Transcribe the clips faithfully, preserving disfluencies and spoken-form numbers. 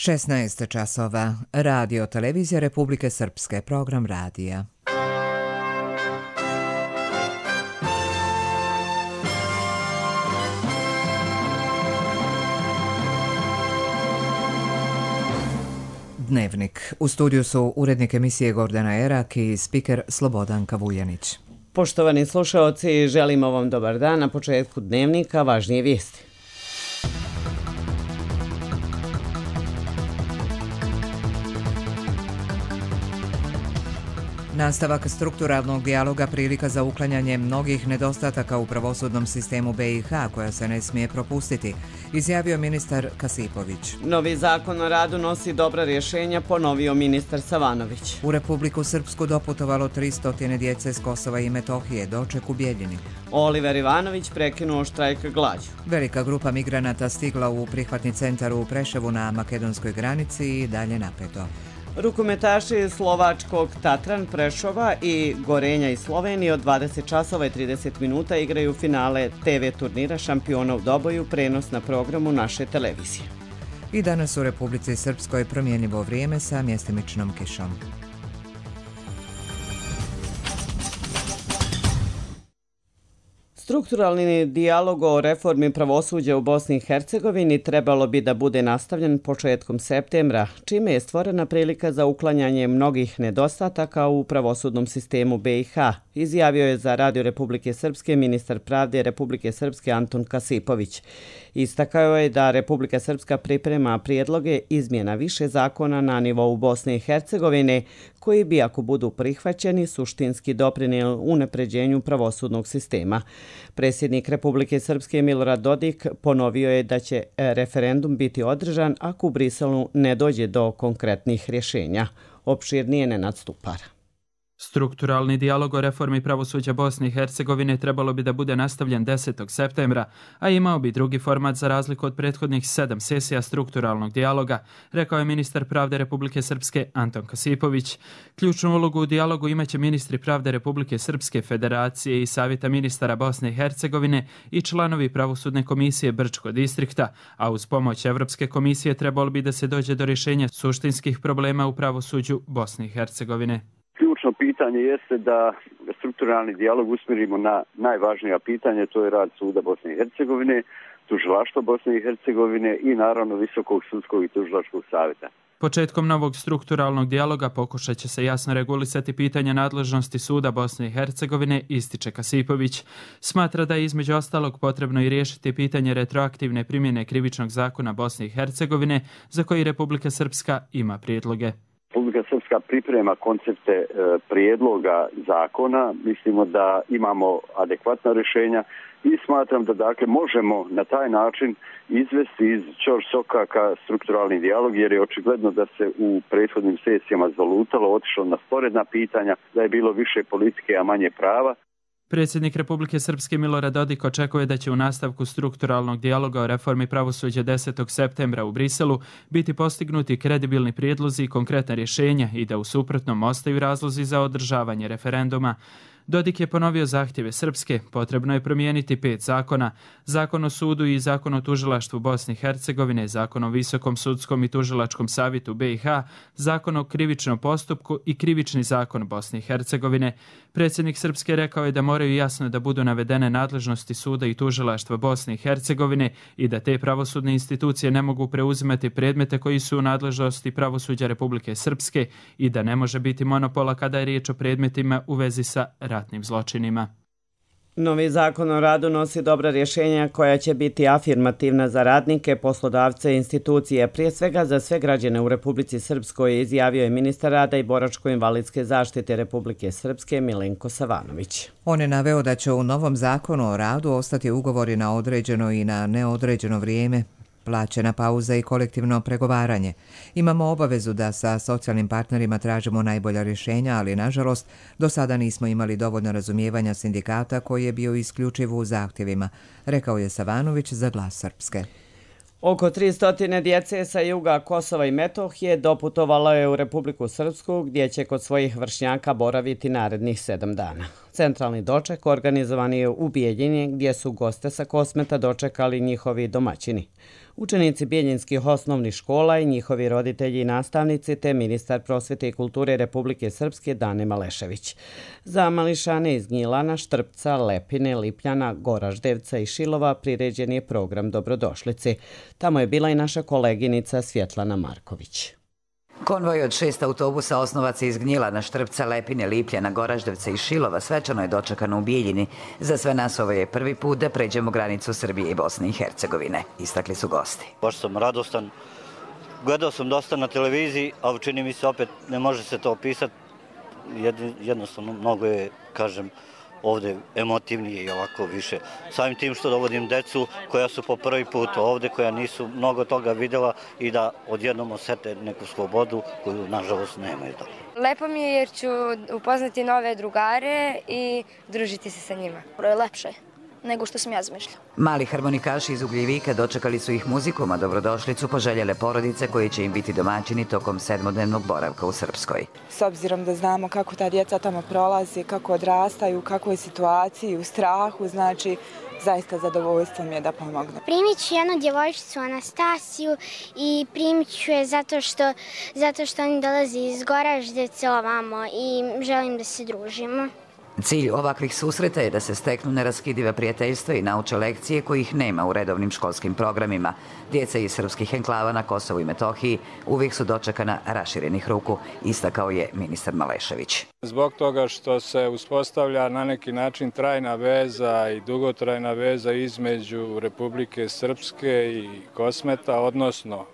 šesnaest časova. Radio Televizija Republike Srpske. Program radija. Dnevnik. U studiju su urednik emisije Gordana Erak i spiker Slobodanka Vujanić. Poštovani slušaoci, želimo vam dobar dan. Na početku dnevnika važnije vijesti. Nastavak strukturalnog dijaloga prilika za uklanjanje mnogih nedostataka u pravosudnom sistemu B i H koja se ne smije propustiti, izjavio ministar Kasipović. Novi zakon o radu nosi dobra rješenja, ponovio ministar Savanović. U Republiku Srpsku doputovalo tristo djece s Kosova i Metohije, doček u Bijeljini. Oliver Ivanović prekinuo štrajk glađu. Velika grupa migranata stigla u prihvatni centar u Preševu na makedonskoj granici i dalje napeto. Rukometaši slovačkog Tatran Prešova i Gorenja iz Slovenije od dvadeset časova i trideset minuta igraju finale T V turnira Šampiona u Doboju, prenos na programu naše televizije. I danas u Republici Srpskoj promjenjivo vrijeme sa mjestimičnom kišom. Strukturalni dijalog o reformi pravosuđa u Bosni i Hercegovini trebalo bi da bude nastavljen početkom septembra, čime je stvorena prilika za uklanjanje mnogih nedostataka u pravosudnom sistemu B i H, izjavio je za Radio Republike Srpske ministar pravde Republike Srpske Anton Kasipović. Istakao je da Republika Srpska priprema prijedloge izmjena više zakona na nivou Bosne i Hercegovine, koji bi, ako budu prihvaćeni, suštinski doprinijeli unapređenju pravosudnog sistema. Predsjednik Republike Srpske Milorad Dodik ponovio je da će referendum biti održan ako u Briselu ne dođe do konkretnih rješenja. Opširnije Nenad Stupar. Strukturalni dijalog o reformi pravosuđa Bosne i Hercegovine trebalo bi da bude nastavljen desetog septembra, a imao bi drugi format za razliku od prethodnih sedam sesija strukturalnog dijaloga, rekao je ministar pravde Republike Srpske Anton Kasipović. Ključnu ulogu u dijalogu imaće ministri pravde Republike Srpske, Federacije i Savjeta ministara Bosne i Hercegovine i članovi pravosudne komisije Brčko distrikta, a uz pomoć Evropske komisije trebalo bi da se dođe do rješenja suštinskih problema u pravosuđu Bosne i Hercegovine. Ključno pitanje jeste da strukturalni dijalog usmjerimo na najvažnija pitanja, to je rad suda Bosne i Hercegovine, tužilaštva Bosne i Hercegovine i naravno Visokog sudskog i tužilačkog savjeta. Početkom novog strukturalnog dijaloga pokušat će se jasno regulisati pitanja nadležnosti suda Bosne i Hercegovine, ističe Kasipović. Smatra da je između ostalog potrebno i riješiti pitanje retroaktivne primjene krivičnog zakona Bosne i Hercegovine, za koji Republika Srpska ima prijedloge. Republika Srpska priprema koncepte e, prijedloga zakona, mislimo da imamo adekvatna rješenja i smatram da dakle možemo na taj način izvesti iz ćorsokaka strukturalni dijalog, jer je očigledno da se u prethodnim sesijama zalutalo, otišlo na sporedna pitanja, da je bilo više politike, a manje prava. Predsjednik Republike Srpske Milorad Dodik očekuje da će u nastavku strukturalnog dijaloga o reformi pravosuđa desetog septembra u Briselu biti postignuti kredibilni prijedlozi i konkretna rješenja i da u suprotnom ostaju razlozi za održavanje referenduma. Dodik je ponovio zahtjeve Srpske, potrebno je promijeniti pet zakona, zakon o sudu i zakon o tužilaštvu Bosne i Hercegovine, zakon o Visokom sudskom i tužilačkom savjetu B i H, zakon o krivičnom postupku i krivični zakon Bosne i Hercegovine. Predsjednik Srpske rekao je da moraju jasno da budu navedene nadležnosti suda i tužilaštva Bosne i Hercegovine i da te pravosudne institucije ne mogu preuzimati predmete koji su u nadležnosti pravosuđa Republike Srpske i da ne može biti monopola kada je riječ o predmetima u vezi sa ratnim zločinima. Novi zakon o radu nosi dobra rješenja koja će biti afirmativna za radnike, poslodavce i institucije, prije svega za sve građane u Republici Srpskoj, izjavio je ministar rada i boračko-invalidske zaštite Republike Srpske Milenko Savanović. On je naveo da će u novom zakonu o radu ostati ugovori na određeno i na neodređeno vrijeme, plaćena pauza i kolektivno pregovaranje. Imamo obavezu da sa socijalnim partnerima tražimo najbolja rješenja, ali nažalost do sada nismo imali dovoljno razumijevanja sindikata koji je bio isključiv u zahtjevima, rekao je Savanović za Glas Srpske. Oko tristo djece sa juga Kosova i Metohije doputovalo je u Republiku Srpsku, gdje će kod svojih vršnjaka boraviti narednih sedam dana. Centralni doček organizovan je u Bijeljini gdje su goste sa Kosmeta dočekali njihovi domaćini. Učenici bijeljinskih osnovnih škola i njihovi roditelji i nastavnici te ministar prosvete i kulture Republike Srpske Dane Malešević. Za mališane iz Gnjilana, Štrpca, Lepine, Lipljana, Goraždevca i Šilova priređen je program Dobrodošlici. Tamo je bila i naša koleginica Svjetlana Marković. Konvoj od šest autobusa osnovaca iz Gnjilana, Štrpca, Lepine, Lipljana, Goraždevca i Šilova svečano je dočekano u Bijeljini. Za sve nas ovo je prvi put da pređemo granicu Srbije i Bosne i Hercegovine, istakli su gosti. Baš sam radostan. Gledao sam dosta na televiziji, ali čini mi se opet ne može se to opisati. Jednostavno mnogo je, kažem, ovde emotivnije i ovako više. Samim tim što dovodim decu koja su po prvi put ovde, koja nisu mnogo toga videla i da odjednom osete neku slobodu koju nažalost nemaju. Lepo mi je jer ću upoznati nove drugare i družiti se sa njima. Lepše nego što sam ja zamišljala. Mali harmonikaši iz Ugljevika dočekali su ih muzikom, a dobrodošlicu poželjele porodice koje će im biti domaćini tokom sedmodnevnog boravka u Srpskoj. S obzirom da znamo kako ta djeca tamo prolazi, kako odrastaju, u kakvoj situaciji, u strahu, znači zaista zadovoljstvo mi je da pomognu. Primit ću jednu djevojčicu Anastasiju i primit ću je zato što, zato što oni dolazi iz Goraždevca ovamo i želim da se družimo. Cilj ovakvih susreta je da se steknu neraskidiva prijateljstva i nauče lekcije kojih nema u redovnim školskim programima. Djeca iz srpskih enklava na Kosovu i Metohiji uvijek su dočekana raširenih ruku, istakao je ministar Malešević. Zbog toga što se uspostavlja na neki način trajna veza i dugotrajna veza između Republike Srpske i Kosmeta, odnosno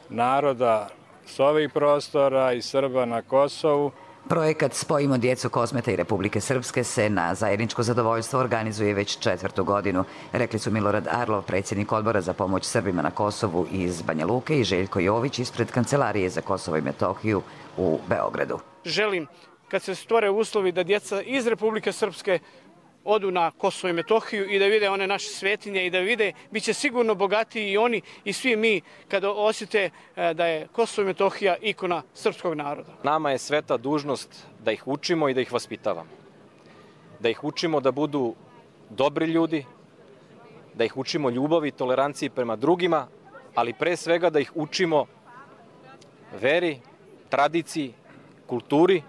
naroda s ovih prostora i Srba na Kosovu. Projekat Spojimo djecu Kosmeta i Republike Srpske se na zajedničko zadovoljstvo organizuje već četvrtu godinu, rekli su Milorad Arlov, predsjednik odbora za pomoć Srbima na Kosovu iz Banja Luke, i Željko Jović ispred Kancelarije za Kosovo i Metohiju u Beogradu. Želim, kad se stvore uslovi da djeca iz Republike Srpske odu na Kosovo i Metohiju i da vide one naše svetinje i da vide, bit će sigurno bogatiji i oni i svi mi kada osjete da je Kosovo i Metohija ikona srpskog naroda. Nama je sveta dužnost da ih učimo i da ih vaspitavamo. Da ih učimo da budu dobri ljudi, da ih učimo ljubavi i toleranciji prema drugima, ali pre svega da ih učimo veri, tradiciji, kulturi.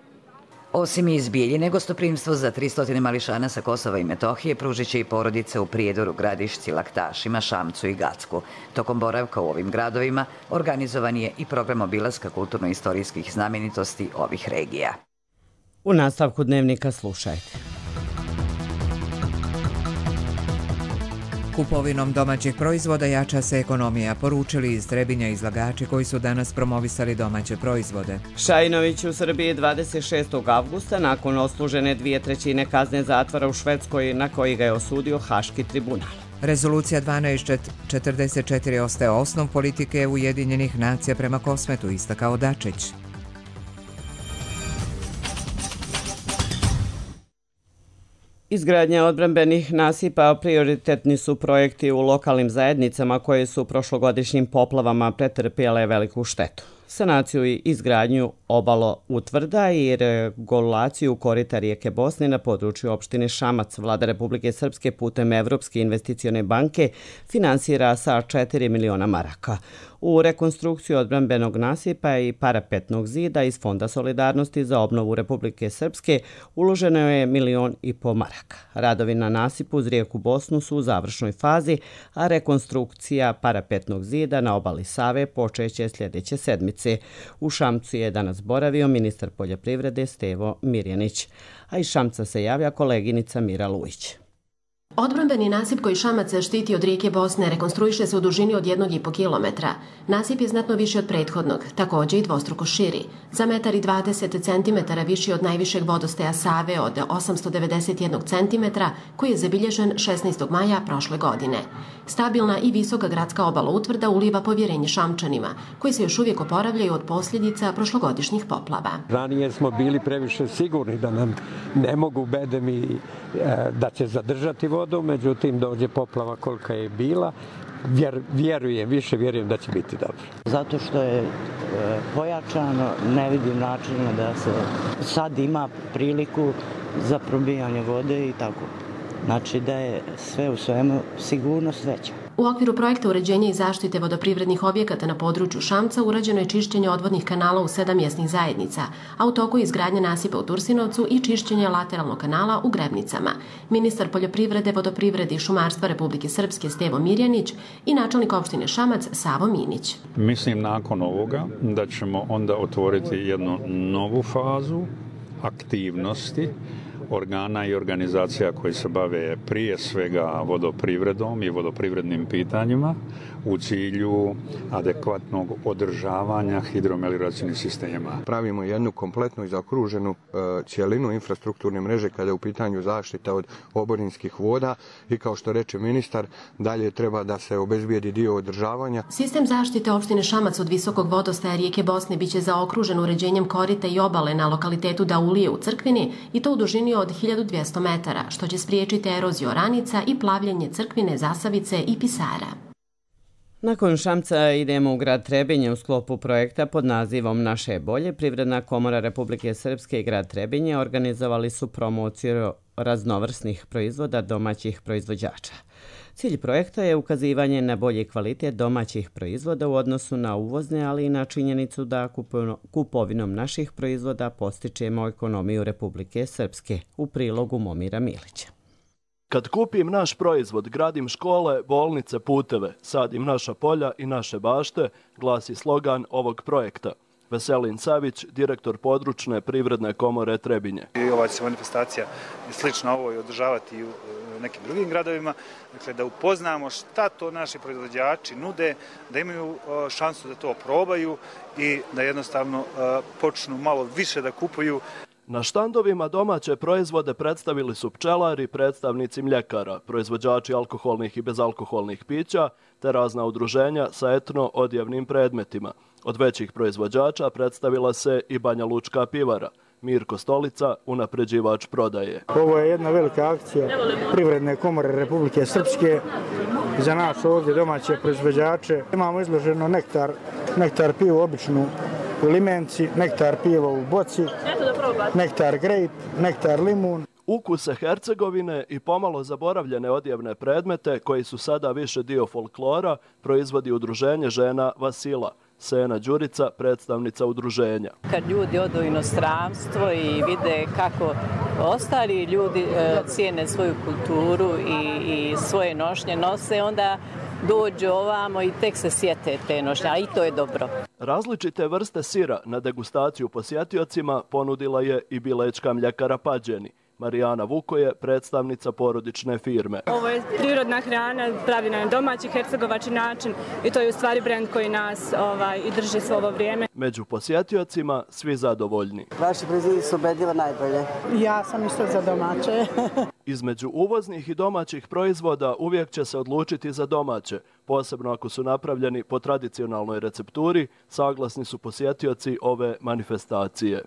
Osim iz Bijeljine, gostoprimstvo za tristo mališana sa Kosova i Metohije pružit će i porodice u Prijedoru, Gradišci, Laktašima, Šamcu i Gacku. Tokom boravka u ovim gradovima organizovan je i program obilaska kulturno-istorijskih znamenitosti ovih regija. U nastavku dnevnika slušajte. Kupovinom domaćih proizvoda jača se ekonomija, poručili iz Trebinja izlagači koji su danas promovisali domaće proizvode. Šajinović u Srbiji dvadeset šestog avgusta nakon odslužene dvije trećine kazne zatvora u Švedskoj na koji ga je osudio Haški tribunal. Rezolucija dvanaest četrdeset četiri ostaje osnov politike Ujedinjenih nacija prema Kosmetu, istakao Dačić. Izgradnja odbrambenih nasipa prioritetni su projekti u lokalnim zajednicama koje su prošlogodišnjim poplavama pretrpjele veliku štetu. Sanaciju i izgradnju obalo utvrda i regulaciju korita rijeke Bosne na području opštine Šamac Vlada Republike Srpske putem Evropske investicione banke finansira sa četiri miliona maraka. U rekonstrukciju odbrambenog nasipa i parapetnog zida iz Fonda solidarnosti za obnovu Republike Srpske uloženo je milion i po maraka. Radovi na nasipu uz rijeku Bosnu su u završnoj fazi, a rekonstrukcija parapetnog zida na obali Save počeće sljedeće sedmice. U Šamcu je danas boravio ministar poljoprivrede Stevo Mirjanić, a iz Šamca se javlja koleginica Mira Lujić. Odbrambeni nasip koji Šamac štiti od rijeke Bosne rekonstruiše se u dužini od jednog i po kilometra. Nasip je znatno viši od prethodnog, također i dvostruko širi. Za metar i dvadeset centimetara viši od najvišeg vodostaja Save od osamsto devedeset jedan centimetra koji je zabilježen šesnaestog maja prošle godine. Stabilna i visoka gradska obala utvrda uliva povjerenje Šamčanima, koji se još uvijek oporavljaju od posljedica prošlogodišnjih poplava. Ranije smo bili previše sigurni da nam ne mogu bedemi da će zadržati vodu, međutim dođe poplava kolika je bila vjer, vjerujem, više vjerujem da će biti dobro. Zato što je e, pojačano, ne vidim načina da se sad ima priliku za probijanje vode i tako. Znači da je sve u svemu sigurnost veća. U okviru projekta uređenja i zaštite vodoprivrednih objekata na području Šamca urađeno je čišćenje odvodnih kanala u sedam mjesnih zajednica, a u toku je izgradnja nasipa u Tursinovcu i čišćenje lateralnog kanala u Grebnicama. Ministar poljoprivrede, vodoprivrede i šumarstva Republike Srpske Stevo Mirjanić i načelnik opštine Šamac Savo Minić. Mislim nakon ovoga da ćemo onda otvoriti jednu novu fazu aktivnosti organa i organizacija koji se bave prije svega vodoprivredom i vodoprivrednim pitanjima u cilju adekvatnog održavanja hidromelioracijnih sistema. Pravimo jednu kompletnu i zaokruženu e, cjelinu infrastrukturne mreže kada je u pitanju zaštita od oborinskih voda i kao što reče ministar, dalje treba da se obezbijedi dio održavanja. Sistem zaštite opštine Šamac od visokog vodostaja rijeke Bosne biće zaokružen uređenjem korita i obale na lokalitetu Daulije u Crkvini i to u dužini od hiljadu dvjesto metara, što će spriječiti eroziju oranica i plavljenje Crkvine, Zasavice i Pisara. Nakon Šamca idemo u grad Trebinje u sklopu projekta pod nazivom Naše je bolje. Privredna komora Republike Srpske i grad Trebinje organizovali su promociju raznovrsnih proizvoda domaćih proizvođača. Cilj projekta je ukazivanje na bolji kvalitet domaćih proizvoda u odnosu na uvozne, ali i na činjenicu da kupovinom naših proizvoda postičemo ekonomiju Republike Srpske, u prilogu Momira Milića. Kad kupim naš proizvod, gradim škole, bolnice, puteve, sadim naša polja i naše bašte, glasi slogan ovog projekta. Veselin Savić, direktor područne privredne komore Trebinje. I ova će se manifestacija slično ovo i održavati i u nekim drugim gradovima, dakle da upoznamo šta to naši proizvođači nude, da imaju šansu da to probaju i da jednostavno počnu malo više da kupuju. Na štandovima domaće proizvode predstavili su pčelari, predstavnici mljekara, proizvođači alkoholnih i bezalkoholnih pića, te razna udruženja sa etno-odjevnim predmetima. Od većih proizvođača predstavila se i Banja Lučka pivara. Mirko Stolica, unapređivač prodaje. Ovo je jedna velika akcija Privredne komore Republike Srpske za nas ovdje domaće proizvođače. Imamo izloženo nektar, nektar pivu običnu u limenci, nektar piva u boci, nektar grape, nektar limun. Ukuse Hercegovine i pomalo zaboravljene odjevne predmete koji su sada više dio folklora proizvodi udruženje žena Vasila. Sena Đurica, predstavnica udruženja. Kad ljudi odu u inostranstvo i vide kako ostali ljudi cijene svoju kulturu i, i svoje nošnje nose, onda dođu ovamo i tek se sjete te nošnje, a i to je dobro. Različite vrste sira na degustaciju posjetiocima ponudila je i bilečka mljekara Pađeni. Marijana Vuko je predstavnica porodične firme. Ovo je prirodna hrana, pravi na domaći hercegovački način i to je u stvari brend koji nas ovaj, i drži svo ovo vrijeme. Među posjetiocima svi zadovoljni. Vaši proizvodi su ubedljivo najbolje. Ja sam isto za domaće. Između uvoznih i domaćih proizvoda uvijek će se odlučiti za domaće, posebno ako su napravljeni po tradicionalnoj recepturi, saglasni su posjetioci ove manifestacije.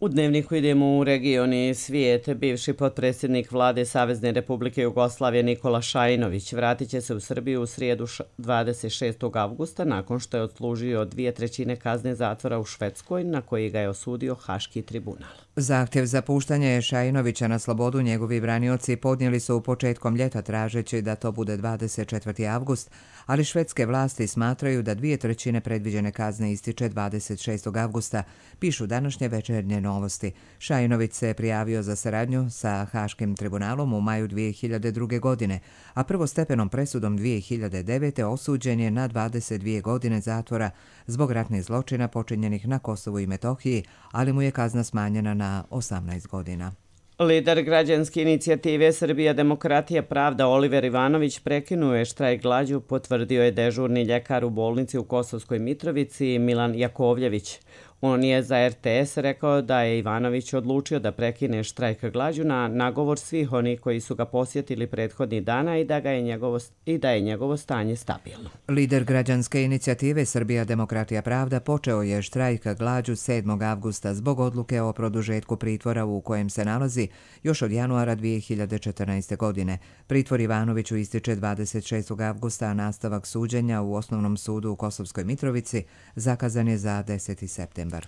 U Dnevniku idemo u region i svijet. Bivši potpredsjednik vlade Savezne Republike Jugoslavije Nikola Šajinović vratit će se u Srbiju u srijedu dvadeset šestog avgusta nakon što je odslužio dvije trećine kazne zatvora u Švedskoj na koji ga je osudio Haški tribunal. Zahtjev za puštanje Šajinovića na slobodu njegovi branioci podnijeli su u početkom ljeta tražeći da to bude dvadeset četvrti avgust, ali švedske vlasti smatraju da dvije trećine predviđene kazne ističe dvadeset šestog avgusta, pišu današnje Večernje novosti. Šajinović se prijavio za saradnju sa Haškim tribunalom u maju dvije hiljade druge. godine, a prvostepenom presudom dvije hiljade devete. osuđen je na dvadeset dvije godine zatvora zbog ratnih zločina počinjenih na Kosovu i Metohiji, ali mu je kazna smanjena na osamnaest godina. Lider građanske inicijative Srbija demokratija pravda Oliver Ivanović prekinuo je štrajk glađu, potvrdio je dežurni ljekar u bolnici u Kosovskoj Mitrovici Milan Jakovljević. On je za R T S rekao da je Ivanović odlučio da prekine štrajk glađu na nagovor svih onih koji su ga posjetili prethodnih dana i da, ga je, njegovo, i da je njegovo stanje stabilno. Lider građanske inicijative Srbija demokratija pravda počeo je štrajk glađu sedmog avgusta zbog odluke o produžetku pritvora u kojem se nalazi još od januara dvije hiljade četrnaeste. godine. Pritvor Ivanoviću ističe dvadeset šestog avgusta, a nastavak suđenja u Osnovnom sudu u Kosovskoj Mitrovici zakazan je za deseti septembar.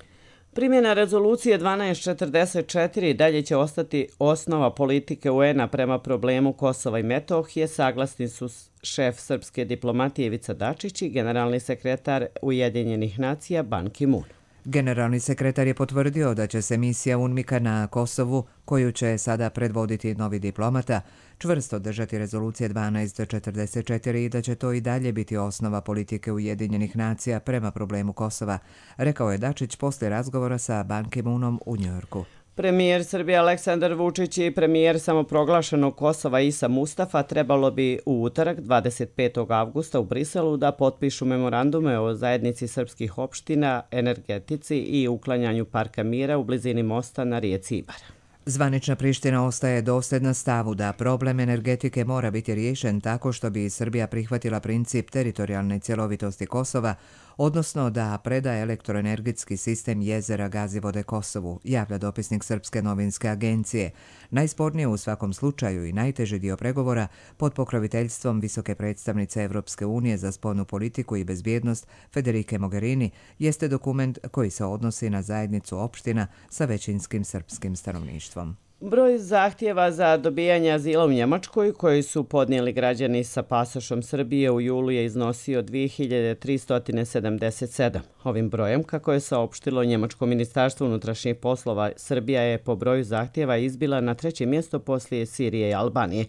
Primjena rezolucije dvanaest četrdeset četiri dalje će ostati osnova politike U N-a prema problemu Kosova i Metohije, saglasni su šef srpske diplomatije Ivica Dačić i generalni sekretar Ujedinjenih nacija Ban Ki-moon. Generalni sekretar je potvrdio da će se misija UNMIK-a na Kosovu, koju će sada predvoditi novi diplomata, čvrsto držati rezolucije dvanaest četrdeset četiri i da će to i dalje biti osnova politike Ujedinjenih nacija prema problemu Kosova, rekao je Dačić poslije razgovora sa Ban Ki-moonom u Njujorku. Premijer Srbije Aleksandar Vučić i premijer samoproglašenog Kosova Isa Mustafa trebalo bi u utorak dvadeset petog avgusta u Briselu da potpišu memorandume o zajednici srpskih opština, energetici i uklanjanju parka mira u blizini mosta na rijeci Ibar. Zvanična Priština ostaje dosljedna stavu da problem energetike mora biti riješen tako što bi Srbija prihvatila princip teritorijalne cjelovitosti Kosova, odnosno da preda elektroenergetski sistem jezera Gazivode Kosovu, javlja dopisnik Srpske novinske agencije. Najspornije u svakom slučaju i najteži dio pregovora pod pokroviteljstvom visoke predstavnice Evropske unije za spoljnu politiku i bezbjednost Federike Mogherini jeste dokument koji se odnosi na zajednicu opština sa većinskim srpskim stanovništvom. Broj zahtjeva za dobijanje azila u Njemačkoj koji su podnijeli građani sa pasošom Srbije u julu je iznosio dvije hiljade tristo sedamdeset sedam. Ovim brojem, kako je saopštilo Njemačko ministarstvo unutrašnjih poslova, Srbija je po broju zahtjeva izbila na treće mjesto poslije Sirije i Albanije.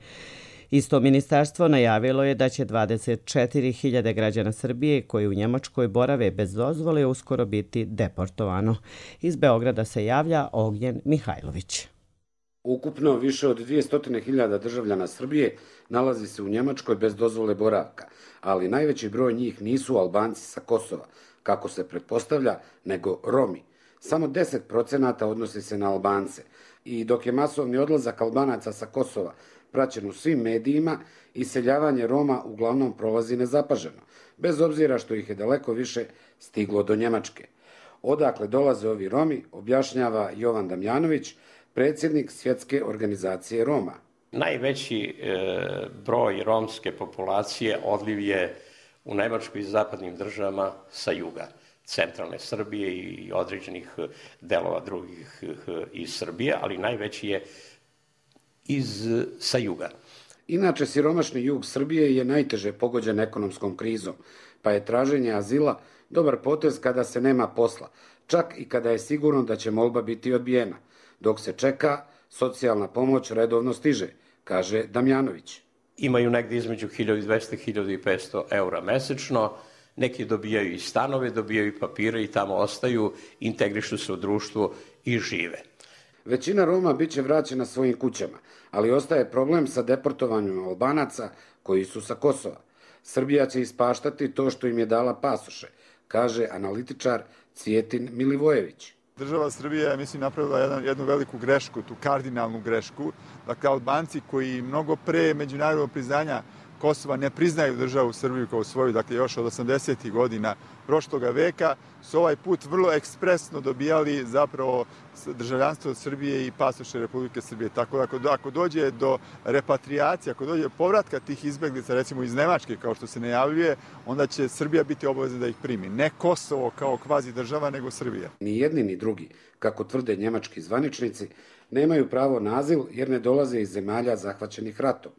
Isto ministarstvo najavilo je da će dvadeset četiri hiljade građana Srbije koji u Njemačkoj borave bez dozvole uskoro biti deportovano. Iz Beograda se javlja Ognjen Mihajlović. Ukupno više od dvjesto hiljada državljana Srbije nalazi se u Njemačkoj bez dozvole boravka, ali najveći broj njih nisu Albanci sa Kosova, kako se pretpostavlja, nego Romi. Samo deset procenata odnosi se na Albance i dok je masovni odlazak Albanaca sa Kosova praćen u svim medijima, iseljavanje Roma uglavnom prolazi nezapaženo, bez obzira što ih je daleko više stiglo do Njemačke. Odakle dolaze ovi Romi, objašnjava Jovan Damjanović, predsjednik Svjetske organizacije Roma. Najveći e, broj romske populacije odliv je u Nemačkoj i zapadnim državama sa juga, centralne Srbije i određenih delova drugih iz Srbije, ali najveći je iz, sa juga. Inače, siromašni jug Srbije je najteže pogođen ekonomskom krizom, pa je traženje azila dobar potez kada se nema posla, čak i kada je sigurno da će molba biti odbijena. Dok se čeka, socijalna pomoć redovno stiže, kaže Damjanović. Imaju negdje između hiljadu dvjesto i hiljadu petsto eura mesečno, neki dobijaju i stanove, dobijaju i papire i tamo ostaju, integrišu se u društvo i žive. Većina Roma bit će vraćena svojim kućama, ali ostaje problem sa deportovanjem Albanaca koji su sa Kosova. Srbija će ispaštati to što im je dala pasoše, kaže analitičar Cvjetin Milivojević. Država Srbija je, mislim, napravila jedan, jednu veliku grešku, tu kardinalnu grešku. Dakle, Albanci koji mnogo pre međunarodnog priznanja Kosova ne priznaju državu Srbiju kao svoju, dakle još od osamdesetih godina prošloga veka, su ovaj put vrlo ekspresno dobijali zapravo državljanstvo Srbije i pasoše Republike Srbije. Tako da ako, ako dođe do repatriacije, ako dođe do povratka tih izbeglica, recimo iz Nemačke, kao što se najavljuje, onda će Srbija biti obavezna da ih primi. Ne Kosovo kao kvazi država, nego Srbija. Ni jedni ni drugi, kako tvrde njemački zvaničnici, nemaju pravo na azil jer ne dolaze iz zemalja zahvaćenih ratom.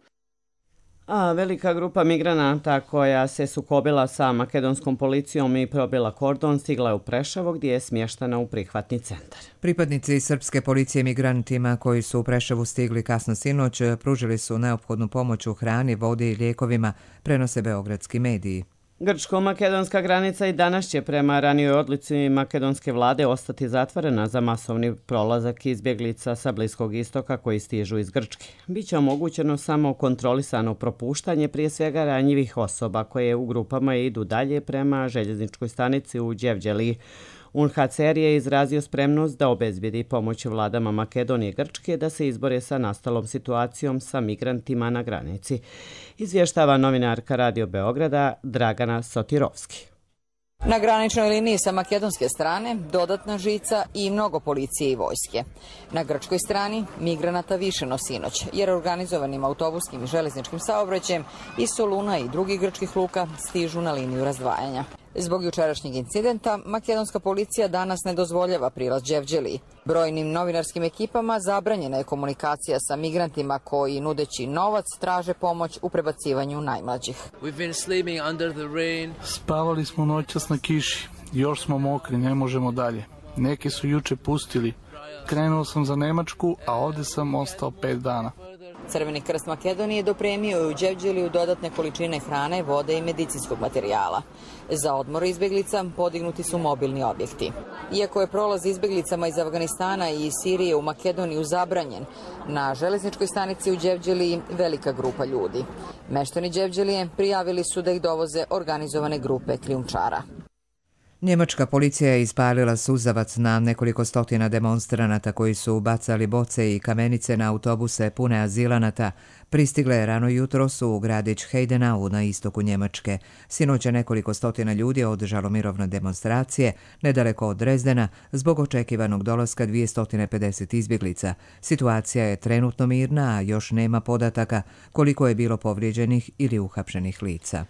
A velika grupa migranata koja se sukobila sa makedonskom policijom i probila kordon stigla je u Preševo gdje je smještena u prihvatni centar. Pripadnici srpske policije migrantima koji su u Preševu stigli kasno sinoć pružili su neophodnu pomoć u hrani, vodi i lijekovima, prenose beogradski mediji. Grčko-makedonska granica i danas će prema ranijoj odluci makedonske vlade ostati zatvorena za masovni prolazak izbjeglica sa Bliskog istoka koji stižu iz Grčke. Biće omogućeno samo kontrolisano propuštanje prije svega ranjivih osoba koje u grupama idu dalje prema željezničkoj stanici u Đevđeliji. U N H C R je izrazio spremnost da obezbedi pomoć vladama Makedonije i Grčke da se izbore sa nastalom situacijom sa migrantima na granici. Izvještava novinarka Radio Beograda Dragana Sotirovski. Na graničnoj liniji sa makedonske strane dodatna žica i mnogo policije i vojske. Na grčkoj strani migranata više no sinoć, jer organizovanim autobuskim i železničkim saobraćajem iz Soluna i drugih grčkih luka stižu na liniju razdvajanja. Zbog jučerašnjeg incidenta, makedonska policija danas ne dozvoljava prilaz Đevđeliji. Brojnim novinarskim ekipama zabranjena je komunikacija sa migrantima koji, nudeći novac, traže pomoć u prebacivanju najmlađih. Spavali smo noćas na kiši, još smo mokri, ne možemo dalje. Neki su juče pustili. Krenuo sam za Nemačku, a ovdje sam ostao pet dana. Crveni krst Makedonije dopremio je u Đevđeliju dodatne količine hrane, vode i medicinskog materijala. Za odmor izbjeglica podignuti su mobilni objekti. Iako je prolaz izbjeglicama iz Afganistana i iz Sirije u Makedoniju zabranjen, na železničkoj stanici u Đevđeliji velika grupa ljudi. Meštani Đevđelije prijavili su da ih dovoze organizovane grupe krijumčara. Njemačka policija je ispalila suzavac na nekoliko stotina demonstranata koji su bacali boce i kamenice na autobuse pune azilanata. Pristigle rano jutro su u gradić Heidenau na istoku Njemačke. Sinoć je nekoliko stotina ljudi održalo mirovne demonstracije nedaleko od Drezdena zbog očekivanog dolaska dvjesto pedeset izbjeglica. Situacija je trenutno mirna, a još nema podataka koliko je bilo povrijeđenih ili uhapšenih lica.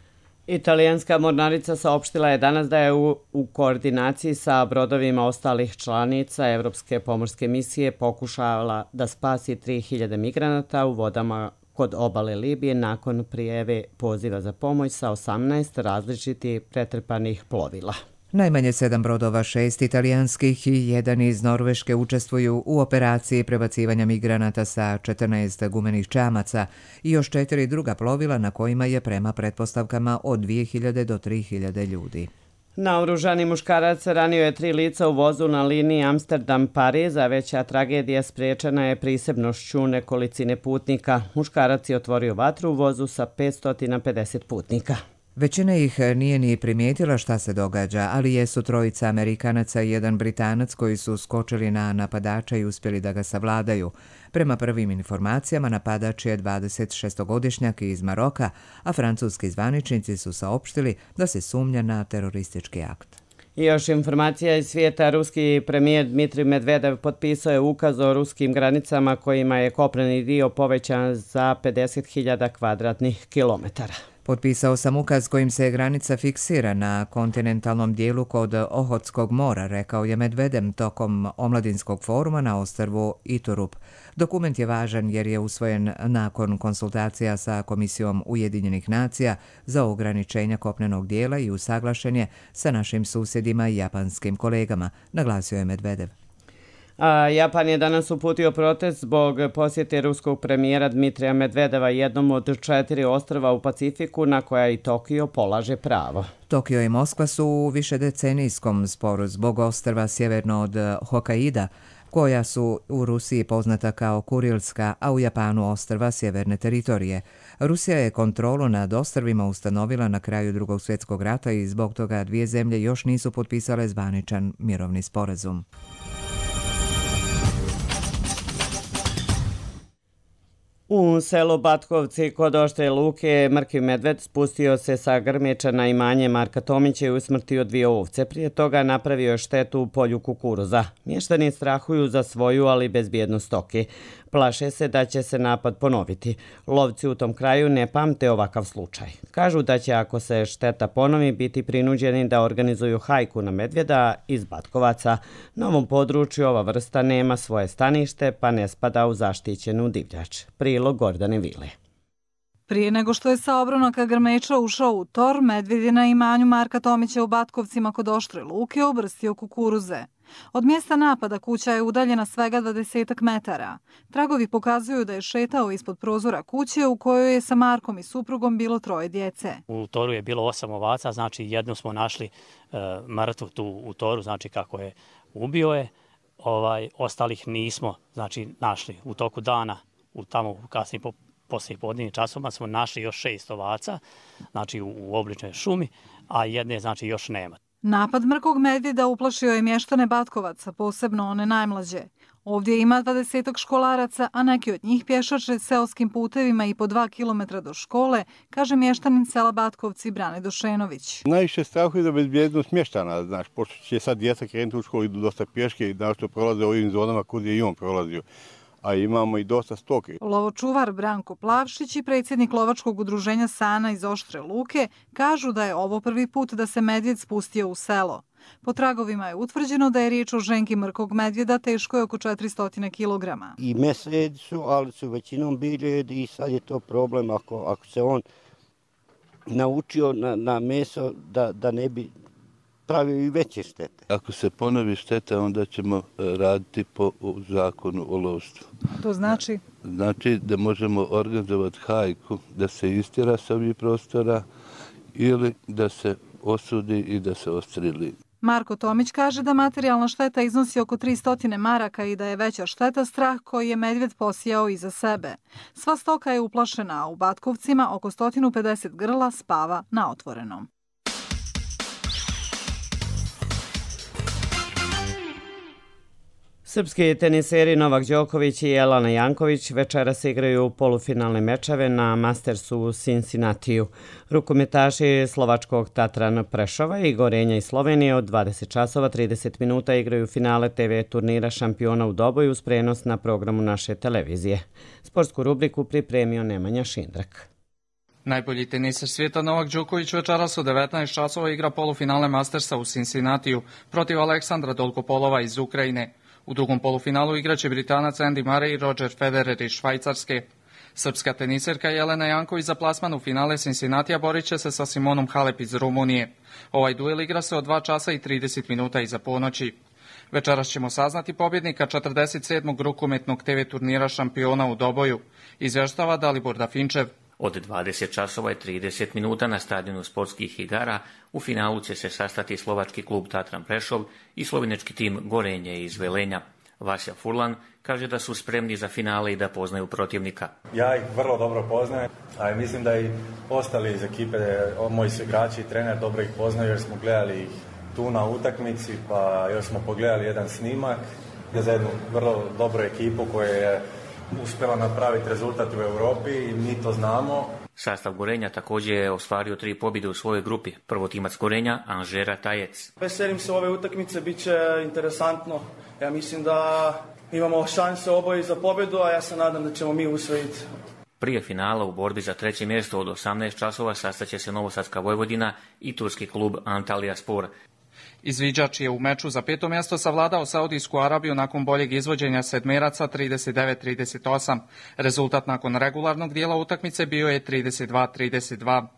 Italijanska mornarica saopštila je danas da je u, u koordinaciji sa brodovima ostalih članica Evropske pomorske misije pokušala da spasi tri hiljade migranata u vodama kod obale Libije nakon prijave poziva za pomoć sa osamnaest različitih pretrpanih plovila. Najmanje sedam brodova, šest italijanskih i jedan iz Norveške učestvuju u operaciji prebacivanja migranata sa četrnaest gumenih čamaca i još četiri druga plovila na kojima je prema pretpostavkama od dvije hiljade do tri hiljade ljudi. Naoružani muškarac ranio je tri lica u vozu na liniji Amsterdam-Pariz, a veća tragedija spriječena je prisebnošću nekolicine putnika. Muškarac je otvorio vatru u vozu sa petsto pedeset putnika. Većina ih nije ni primijetila šta se događa, ali jesu trojica Amerikanaca i jedan Britanac koji su skočili na napadača i uspjeli da ga savladaju. Prema prvim informacijama napadač je dvadesetšestogodišnjak iz Maroka, a francuski zvaničnici su saopštili da se sumnja na teroristički akt. I još informacija iz svijeta. Ruski premijer Dmitrij Medvedev potpisao je ukaz o ruskim granicama kojima je kopneni dio povećan za pedeset hiljada kvadratnih kilometara. Potpisao sam ukaz kojim se granica fiksira na kontinentalnom dijelu kod Ohotskog mora, rekao je Medvedev tokom omladinskog foruma na ostrvu Iturup. Dokument je važan jer je usvojen nakon konsultacija sa Komisijom Ujedinjenih nacija za ograničenja kopnenog dijela i usaglašen je sa našim susjedima i japanskim kolegama, naglasio je Medvedev. A Japan je danas uputio protest zbog posjete ruskog premijera Dmitrija Medvedeva jednom od četiri ostrva u Pacifiku na koja i Tokio polaže pravo. Tokio i Moskva su u višedecenijskom sporu zbog ostrva sjeverno od Hokkaida, koja su u Rusiji poznata kao Kurilska, a u Japanu ostrva sjeverne teritorije. Rusija je kontrolu nad ostrvima ustanovila na kraju Drugog svjetskog rata i zbog toga dvije zemlje još nisu potpisale zvaničan mirovni sporazum. U selu Batkovci kod Oštre Luke mrtvi medved spustio se sa grmeča na imanje Marka Tomića i usmrtio dvije ovce. Prije toga napravio je štetu u polju kukuruza. Mještani strahuju za svoju, ali bezbjednost stoke. Plaše se da će se napad ponoviti. Lovci u tom kraju ne pamte ovakav slučaj. Kažu da će, ako se šteta ponovi, biti prinuđeni da organizuju hajku na medvjeda iz Batkovaca. Na ovom području ova vrsta nema svoje stanište, pa ne spada u zaštićenu divljač. Prilog Gordane Vile. Prije nego što je sa obronaka grmeča ušao u tor, medvjed je na imanju Marka Tomića u Batkovcima kod Oštre Luke obrstio kukuruze. Od mjesta napada kuća je udaljena svega dvadesetak metara. Tragovi pokazuju da je šetao ispod prozora kuće u kojoj je sa Markom i suprugom bilo troje djece. U toru je bilo osam ovaca, znači jednu smo našli e, mrtvu tu u toru, znači kako je ubio je. Ovaj, ostalih nismo znači, našli u toku dana, u tamo kasnije po poslije podnevnim časovima smo našli još šest ovaca, znači u, u obličnoj šumi, a jedne znači još nema. Napad mrkog medvjeda uplašio je mještane Batkovaca, posebno one najmlađe. Ovdje ima dvadesetak školaraca, a neki od njih pješače seoskim putevima i po dva kilometra do škole, kaže mještanin sela Batkovci Brane Došenović. Najviše strahuje za bezbjednost mještana, znaš, pošto će sad djeca krenuti u školu, idu dosta pješke i našto prolaze ovim zonama kud je i on prolazio. A imamo i dosta stoke. Lovočuvar Branko Plavšić i predsjednik lovačkog udruženja Sana iz Oštre Luke kažu da je ovo prvi put da se medvjed spustio u selo. Po tragovima je utvrđeno da je riječ o ženki mrkog medvjeda teškoj oko četiristo kilograma. I mesojedi su, ali su većinom biljojedi i sad je to problem ako, ako se on naučio na, na meso da, da ne bi pravio i veće štete. Ako se ponovi šteta, onda ćemo raditi po zakonu o lovstvu. To znači? Znači da možemo organizovati hajku, da se istjera s ovih prostora ili da se osudi i da se odstreli. Marko Tomić kaže da materijalna šteta iznosi oko tristo maraka i da je veća šteta strah koji je medvjed posijao iza sebe. Sva stoka je uplašena, a u Batkovcima oko sto pedeset grla spava na otvorenom. Srpski teniseri Novak Đoković i Jelena Janković večeras igraju polufinalne mečeve na Mastersu u Cincinnatiju. Rukometaši slovačkog Tatran Prešova i Gorenja iz Slovenije od dvadeset časova trideset minuta igraju finale te ve turnira šampiona u Doboju uz prenos na programu naše televizije. Sportsku rubriku pripremio Nemanja Šindrak. Najbolji teniser svijeta Novak Đoković večeras u devetnaest časova igra polufinale Mastersa u Cincinnatiju protiv Aleksandra Dolgopolova iz Ukrajine. U drugom polufinalu igraće Britanac Andy Murray i Roger Federer iz Švajcarske. Srpska teniserka Jelena Janković za plasman u finale Cincinnatija borit će se sa Simonom Halep iz Rumunije. Ovaj duel igra se od dva časa i trideset minuta iza ponoći. Večeras ćemo saznati pobjednika četrdeset sedmog rukometnog te ve turnira šampiona u Doboju, izvještava Dalibor Dafinčev. Od dvadeset časova i trideset minuta na stadionu sportskih igara u finalu će se sastati slovački klub Tatran Prešov i slovenečki tim Gorenje iz Velenja. Vasja Furlan kaže da su spremni za finale i da poznaju protivnika. Ja ih vrlo dobro poznajem, a mislim da i ostali iz ekipe, moji su igrači i trener dobro ih poznaju jer smo gledali ih tu na utakmici, pa još smo pogledali jedan snimak za jednu vrlo dobru ekipu koja je uspjela napraviti rezultat u Europi i mi to znamo. Sastav Gorenja također je ostvario tri pobjede u svojoj grupi. Prvotimac Gorenja, Anžera Tajec. Veselim se ove utakmice, bit će interesantno. Ja mislim da imamo šanse oboje za pobjedu, a ja se nadam da ćemo mi usvojiti. Prije finala u borbi za treće mjesto od osamnaest časova sastaće se Novosadska Vojvodina i turski klub Antalya Spor. Izviđač je u meču za peto mjesto savladao Saudijsku Arabiju nakon boljeg izvođenja sedmeraca trideset devet trideset osam. Rezultat nakon regularnog dijela utakmice bio je trideset dva trideset dva.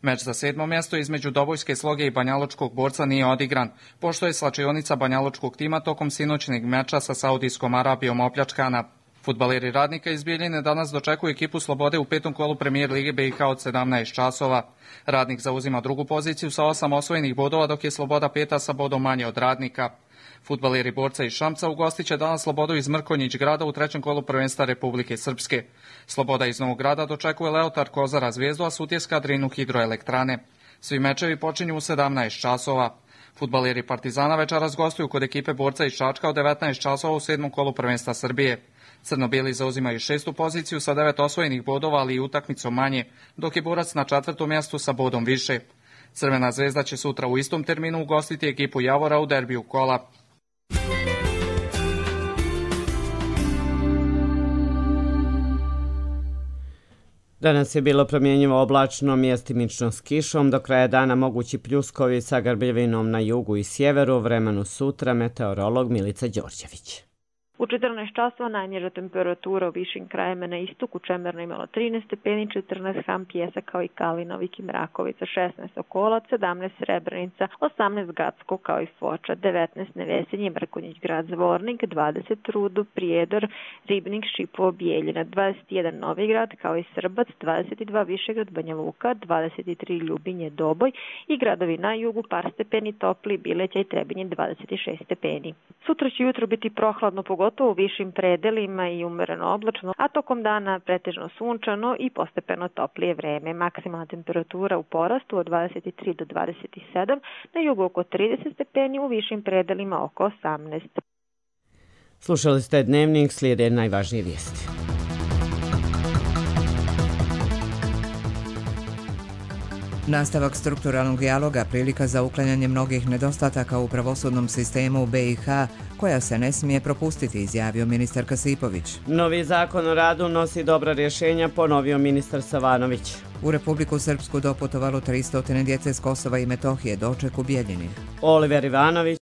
Meč za sedmo mjesto između Dobojske Sloge i banjalučkog borca nije odigran, pošto je slačionica banjalučkog tima tokom sinoćnog meča sa Saudijskom Arabijom opljačkana. Fudbaleri Radnika iz Bijeljine danas dočekuju ekipu Slobode u petom kolu Premijer Lige be i ha od sedamnaest časova. Radnik zauzima drugu poziciju sa osam osvojenih bodova, dok je Sloboda peta sa bodom manje od Radnika. Fudbaleri Borca iz Šamca ugostit će danas Slobodu iz Mrkonjić grada u trećem kolu prvenstva Republike Srpske. Sloboda iz Novog grada dočekuje Leotar Kozara Zvijezdu, a Sutjeska Drinu Hidroelektrane. Svi mečevi počinju u sedamnaest časova. Fudbaleri Partizana večeras gostuju kod ekipe Borca iz Čačka u devetnaest časova u sedmom kolu prvenstva Srbije. Crno-bijeli zauzimaju šestu poziciju sa devet osvojenih bodova, ali i utakmicom manje, dok je Borac na četvrtom mjestu sa bodom više. Crvena zvezda će sutra u istom terminu ugostiti ekipu Javora u derbiju kola. Danas je bilo promjenjivo oblačno, mjestimično s kišom, do kraja dana mogući pljuskovi sa grbljevinom na jugu i sjeveru, vremenu sutra, meteorolog Milica Đorđević. U četrnaest časova najniža temperatura u višim krajima na istoku, Čemerno imalo trinaest stepeni, četrnaest Ham Pjesa kao i Kalinovik i Mrakovica, šesnaest Okolac, sedamnaest Srebrenica, osamnaest Gacko kao i Foča, devetnaest Nevesinje, Mrkonjić grad Zvornik, dvadeset Rudo, Prijedor, Ribnik, Šipovo, Bijeljina, dvadeset jedan Novigrad kao i Srbac, dvadeset dva Višegrad, Banja Luka, dvadeset tri Ljubinje, Doboj i gradovi na jugu par stepeni topli, Bileća i Trebinje dvadeset šest stepeni. Sutra će jutro biti prohladno, pogotovo subotu u višim predelima i umereno oblačno, a tokom dana pretežno sunčano i postepeno toplije vreme. Maksimalna temperatura u porastu od dvadeset tri do dvadeset sedam, na jugu oko trideset stepeni, u višim predelima oko osamnaest. Slušali ste Dnevnik, slijede najvažnije vijesti. Nastavak strukturalnog dijaloga prilika za uklanjanje mnogih nedostataka u pravosudnom sistemu u B i H, koja se ne smije propustiti, izjavio ministar Kasipović. Novi zakon o radu nosi dobra rješenja, ponovio ministar Savanović. U Republiku Srpsku doputovalo tristo djece s Kosova i Metohije, doček u Bijeljini. Oliver Ivanović.